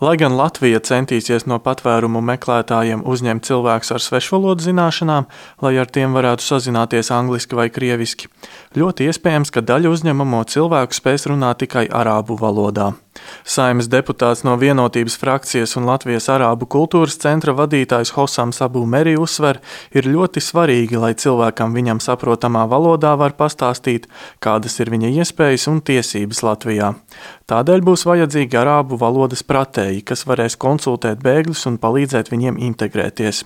Lai gan Latvija centīsies no patvērumu meklētājiem uzņemt cilvēkus ar svešvalodu zināšanām, lai ar tiem varētu sazināties angliski vai krieviski, ļoti iespējams, ka daļa uzņemamo cilvēku spēs runāt tikai arābu valodā. Saeimas deputāts no Vienotības frakcijas un Latvijas Arābu kultūras centra vadītājs Hosams Abu Meri uzsver, ir ļoti svarīgi, lai cilvēkam viņam saprotamā valodā var pastāstīt, kādas ir viņa iespējas un tiesības Latvijā. Tādēļ būs vajadzīgi arābu valodas pratēji, kas varēs konsultēt bēgļus un palīdzēt viņiem integrēties.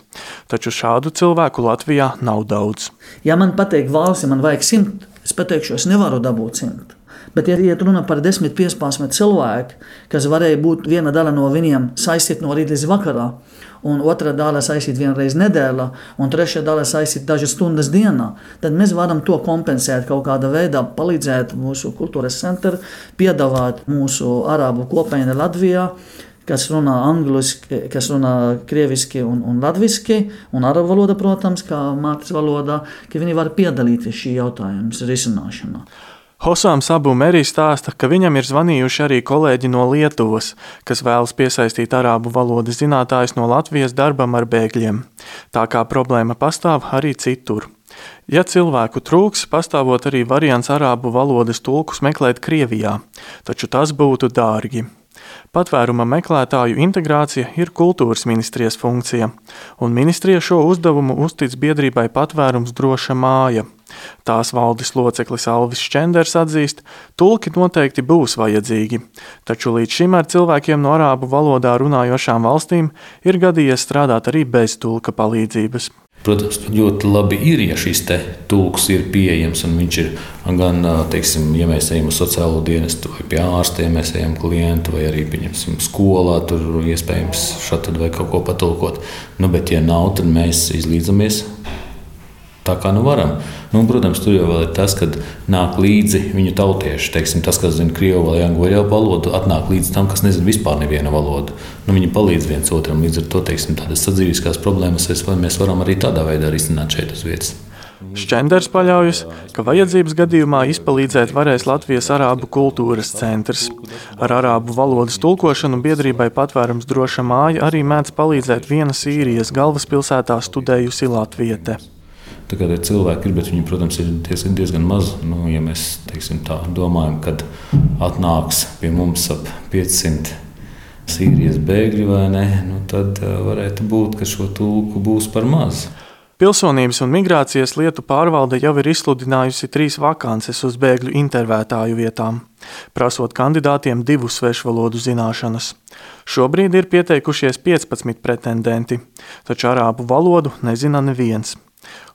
Taču šādu cilvēku Latvijā nav daudz. Ja man pateikt valsts, man vajag 100, es pateikšu, es nevaru dabūt 100. Bet, ja iet runa par 10-15 cilvēku, kas varēja būt viena daļa no viņiem saistīt no rīta līdz vakarā, un otra daļa saistīt vienreiz nedēļā, un trešā daļa saistīt dažas stundas dienā, tad mēs varam to kompensēt kaut kādā veidā, palīdzēt mūsu kultūras centru, piedāvāt mūsu arābu kopienu Latvijā, kas runā angliski, kas runā krieviski un latviski, un arābu valoda, protams, kā mātes valodā, ka viņi var piedalīties šī jautājuma risināšanā. Hosams Abu Meri stāsta, ka viņam ir zvanījuši arī kolēģi no Lietuvas, kas vēlas piesaistīt arābu valodas zinātājus no Latvijas darbam ar bēgļiem. Tā kā problēma pastāv arī citur. Ja cilvēku trūks, pastāvot arī variants arābu valodas tulkus meklēt Krievijā, taču tas būtu dārgi. Patvēruma meklētāju integrācija ir kultūras ministrijas funkcija, un ministrija šo uzdevumu uztic biedrībai Patvērums droša māja. Tās valdes loceklis Alvis Šķenders atzīst, tulki noteikti būs vajadzīgi, taču līdz šim ar cilvēkiem no arābu valodā runājošām valstīm ir gadījies strādāt arī bez tulka palīdzības. Protams, ļoti labi ir, ja šis tulks ir pieejams un viņš ir gan, teiksim, ja mēs ejam uz sociālo dienestu vai pie ārstiem, mēs ejam klientu vai arī, pieņemsim, skolā, tur iespējams šādi vai kaut ko patulkot. Bet ja nav, tad mēs izlīdzamies tā kā nu varam. Protams, tur jau vēl ir tas, kad nāk līdzi viņu tautieši. Teiksim, tas, kas zina krievu vai angļu valodu, atnāk līdz tam, kas nezina vispār nevienu valodu. Viņi palīdz viens otram. Līdz ar to, teiksim, tādas sadzīviskās problēmas mēs varam arī tādā veidā risināt šeit uz vietas. Šķenders paļaujas, ka vajadzības gadījumā izpalīdzēt varēs Latvijas Arābu kultūras centrs. Ar arābu valodas tulkošanu biedrībai Patvērums droša māja arī mēdz palīdzēt viena Sīrijas galvaspilsētā studējusi latviete. Tā kā cilvēki ir, bet viņi, protams, ir diezgan maz. Ja mēs, teiksim, tā domājam, kad atnāks pie mums ap 500 Sīrijas bēgļi vai ne, tad varētu būt, ka šo tulku būs par maz. Pilsonības un migrācijas lietu pārvalde jau ir izsludinājusi 3 vakances uz bēgļu intervētāju vietām, prasot kandidātiem 2 svešvalodu zināšanas. Šobrīd ir pieteikušies 15 pretendenti, taču arābu valodu nezina neviens.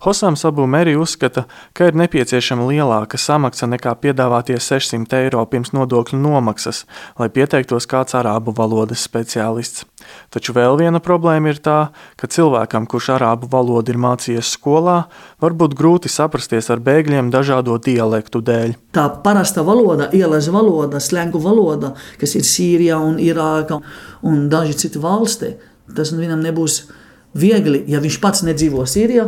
Hosams Abu Meri uzskata, ka ir nepieciešama lielāka samaksa nekā piedāvātie 600 eiro pirms nodokļu nomaksas, lai pieteiktos kāds arābu valodas speciālists. Taču vēl viena problēma ir tā, ka cilvēkam, kurš arābu valodu ir mācījies skolā, var būt grūti saprasties ar bēgļiem dažādo dialektu dēļ. Tā parasta valoda, ielas valoda, slengu valoda, kas ir Sīrijā un Irāka un daži citi valsti, tas viņam nebūs viegli, ja viņš pats nedzīvo Sīrijā,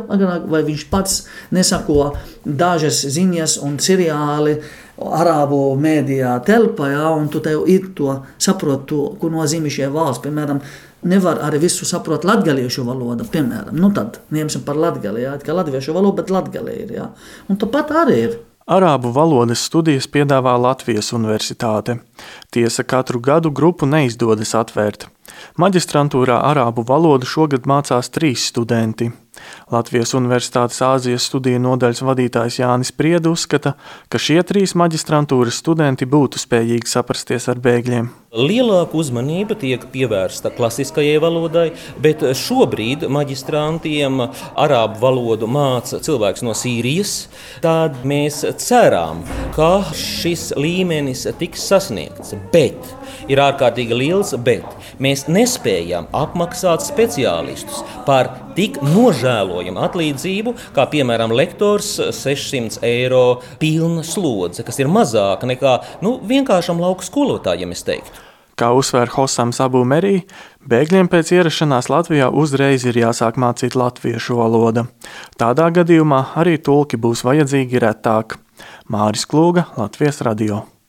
vai viņš pats nesako dažas ziņas un seriāli arābu mēdījā telpā, un tu tev ir to saprot, ko nozīmē šie valsts. Piemēram, nevar arī visu saprot latgaliešu valodu, piemēram. Tad ņemsim par latgali, ka latviešu valoda, bet latgali ir. Un tāpat arī ir. Arābu valodas studijas piedāvā Latvijas universitāte. Tiesa, katru gadu grupu neizdodas atvērt. Maģistrantūrā arābu valodu šogad mācās 3 studenti. Latvijas Universitātes Āzijas studiju nodaļas vadītājs Jānis Prieda uzskata, ka šie 3 maģistrantūras studenti būtu spējīgi saprasties ar bēgļiem. Lielāka uzmanība tiek pievērsta klasiskajai valodai, bet šobrīd maģistrantiem arābu valodu māca cilvēks no Sīrijas. Tad mēs ceram, ka šis līmenis tiks sasniegts, bet ir ārkārtīgi liels, bet mēs nespējam apmaksāt speciālistus par tik nožēlojamu atlīdzību, kā piemēram lektors 600 eiro pilna slodze, kas ir mazāka nekā vienkāršam lauku skolotājiem, es teiktu. Kā uzsver Hosams Abu Meri, bēgļiem pēc ierašanās Latvijā uzreiz ir jāsāk mācīt latviešu valoda. Tādā gadījumā arī tulki būs vajadzīgi retāk. Māris Klūga, Latvijas radio.